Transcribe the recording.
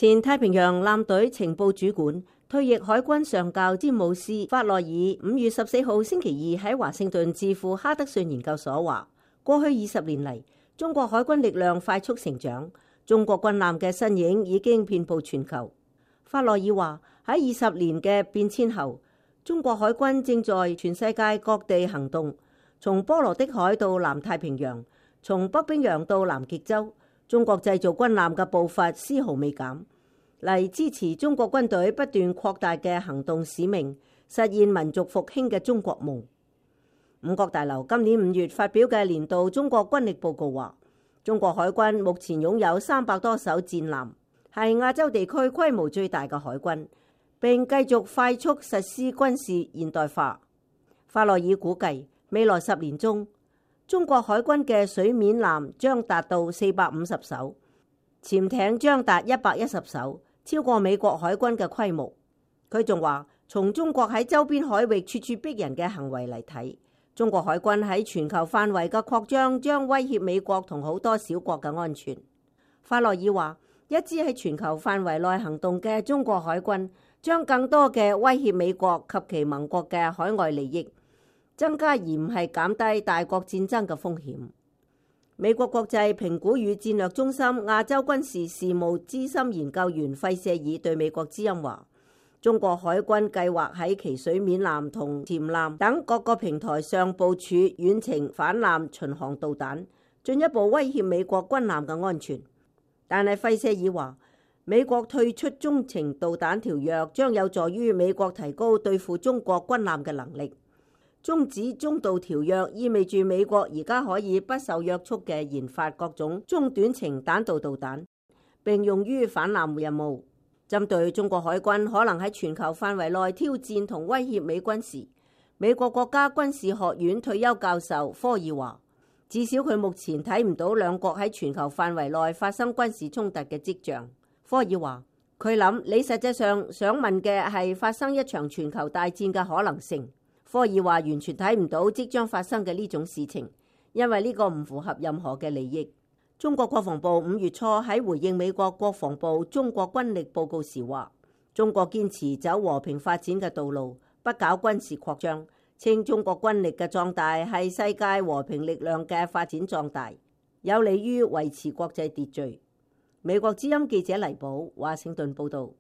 前太平洋艦隊情報主管、退役海軍上校詹姆斯法洛爾5月14號星期二喺華盛頓智庫哈德遜研究所話，過去20年嚟，中國海軍力量快速成長，中國軍艦嘅身影已經遍佈全球。法洛爾話，喺20年嘅變遷後，中國海軍正在全世界各地行動，從波羅的海到南太平洋，從北冰洋到南極洲，中國製造軍艦嘅步伐絲毫未減，嚟支持中國軍隊不斷擴大嘅行動使命，實現民族復興嘅中國夢。五角大樓今年5月發表嘅年度中國軍力報告話，中國海軍目前擁有300多艘戰艦，係亞洲地區規模最大嘅海軍，並繼續快速實施軍事現代化。法洛爾估計，未來10年中，中國海軍嘅水面艦將達到450艘，潛艇將達110艘，超過美國海軍嘅規模。佢仲話，從中國喺周邊海域處處逼人嘅行為嚟睇，中國海軍喺全球範圍嘅擴張將威脅美國同好多小國嘅安全。法洛爾話，一支喺全球範圍內行動嘅中國海軍將更多嘅威脅美國及其盟國嘅海外利益，增加而唔係減低大國戰爭嘅風險。美國國際評估與戰略中心亞洲軍事事務資深研究員費舍爾對美國之音話，中國海軍計劃喺其水面艦同潛艦等各個平台上部署遠程反艦巡航導彈，進一步威脅美國軍艦嘅安全。但係費舍爾話，美國退出中程導彈條約將有助於美國提高對付中國軍艦嘅能力。終止中導條約意味住美國而家可以不受約束嘅研發各種中短程彈道導彈，並用於反艦任務。針對中國海軍可能喺全球範圍內挑戰同威脅美軍時，美國國家軍事學院退休教授科爾話，至少佢目前睇唔到兩國喺全球範圍內發生軍事衝突嘅跡象。科爾話，佢諗你實際上想問嘅係發生一場全球大戰嘅可能性。科爾話，完全睇唔到即將發生嘅呢種事情，因為呢個唔符合任何嘅利益。中國國防部5月初喺回應美國國防部中國軍力報告時話，中國堅持走和平發展嘅道路，不搞軍事擴張，稱中國軍力嘅壯大係世界和平力量嘅發展壯大，有利於維持國際秩序。美國之音記者黎寶華盛頓報道。